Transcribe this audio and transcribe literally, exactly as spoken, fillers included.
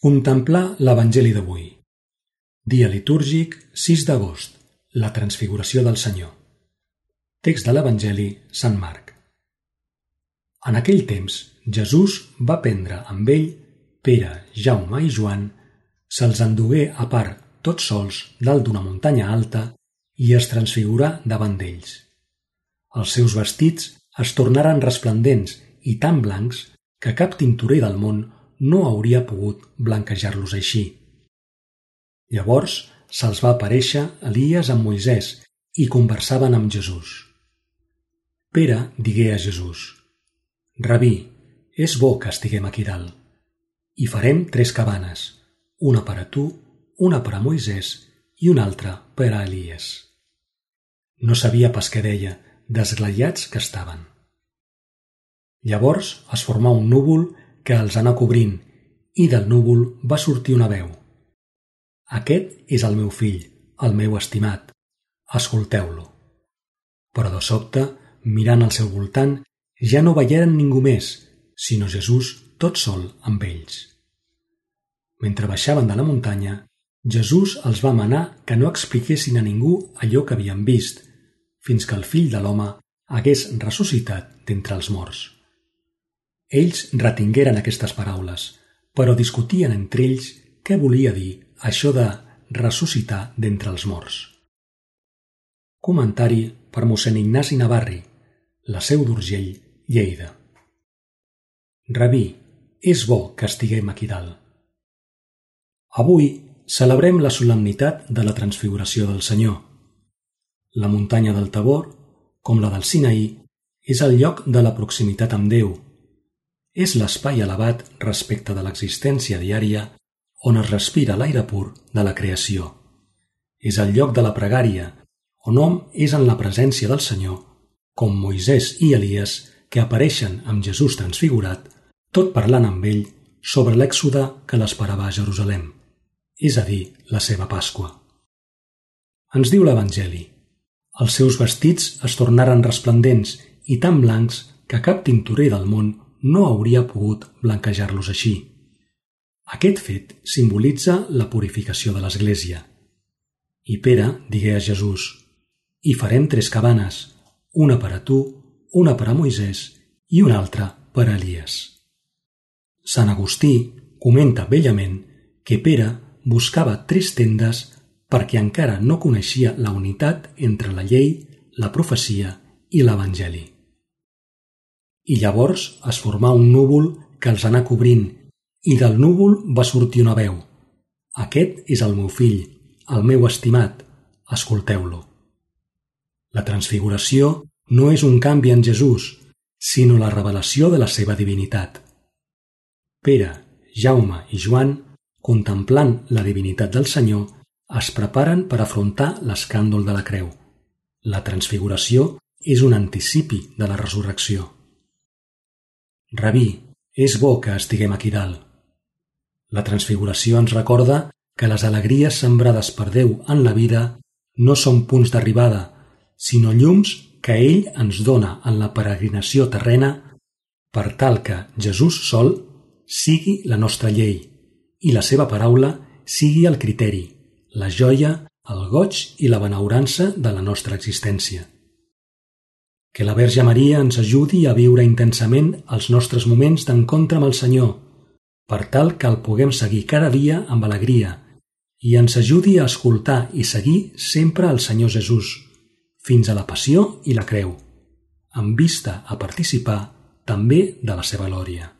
Contemplar l'Evangeli d'avui. Dia litúrgic sis d'agost, la transfiguració del Senyor. Text de l'Evangeli Sant Marc. En aquell temps, Jesús va prendre amb ell Pere, Jaume i Joan, se'ls endugué a part tots sols dalt d'una muntanya alta i es transfigurà davant d'ells. Els seus vestits es tornaren resplendents i tan blancs que cap tintorer del món no hauria pogut blanquejar-los així. Llavors se'ls va aparèixer Elies amb Moisès i conversaven amb Jesús. Pere digué a Jesús: «Rabí, és bo que estiguem aquí dalt. I farem tres cabanes, una per a tu, una per a Moisès i una altra per a Elies». No sabia pas què deia, desglaiats que estaven. Llavors es formà un núvol que els anà cobrint, i del núvol va sortir una veu: «Aquest és el meu fill, el meu estimat, escolteu-lo». Però de sobte, mirant al seu voltant, ja no veieren ningú més, sinó Jesús tot sol amb ells. Mentre baixaven de la muntanya, Jesús els va manar que no expliquessin a ningú allò que havien vist, fins que el fill de l'home hagués ressuscitat d'entre els morts. Ells retingueren aquestes paraules, però discutien entre ells què volia dir això de ressuscitar d'entre els morts. Comentari per mossèn Ignasi Navarri, La Seu d'Urgell, Lleida. Rabí, és bo que estiguem aquí dalt. Avui celebrem la solemnitat de la transfiguració del Senyor. La muntanya del Tabor, com la del Sinaí, és el lloc de la proximitat amb Déu. És l'espai elevat respecte de l'existència diària on es respira l'aire pur de la creació. És el lloc de la pregària, on hom és en la presència del Senyor, com Moisès i Elies que apareixen amb Jesús transfigurat, tot parlant amb ell sobre l'èxode que l'esperava a Jerusalem, és a dir, la seva Pasqua. Ens diu l'Evangeli: els seus vestits es tornaren resplendents i tan blancs que cap tintorer del món no hauria pogut blanquejar-los així. Aquest fet simbolitza la purificació de l'Església. I Pere digué a Jesús: «Hi farem tres cabanes, una per a tu, una per a Moisès i una altra per a Elies». Sant Agustí comenta bellament que Pere buscava tres tendes perquè encara no coneixia la unitat entre la llei, la profecia i l'Evangeli. I llavors es formà un núvol que els anà cobrint, i del núvol va sortir una veu: «Aquest és el meu fill, el meu estimat, escolteu-lo». La transfiguració no és un canvi en Jesús, sinó la revelació de la seva divinitat. Pere, Jaume i Joan, contemplant la divinitat del Senyor, es preparen per afrontar l'escàndol de la creu. La transfiguració és un anticipi de la resurrecció. Rabí, és bo que estiguem aquí dalt. La transfiguració ens recorda que les alegries sembrades per Déu en la vida no són punts d'arribada, sinó llums que ell ens dona en la peregrinació terrena per tal que Jesús sol sigui la nostra llei i la seva paraula sigui el criteri, la joia, el goig i la benaurança de la nostra existència. Que la Verge Maria ens ajudi a viure intensament els nostres moments d'encontre amb el Senyor, per tal que el puguem seguir cada dia amb alegria i ens ajudi a escoltar i seguir sempre el Senyor Jesús, fins a la passió i la creu, amb vista a participar també de la seva glòria.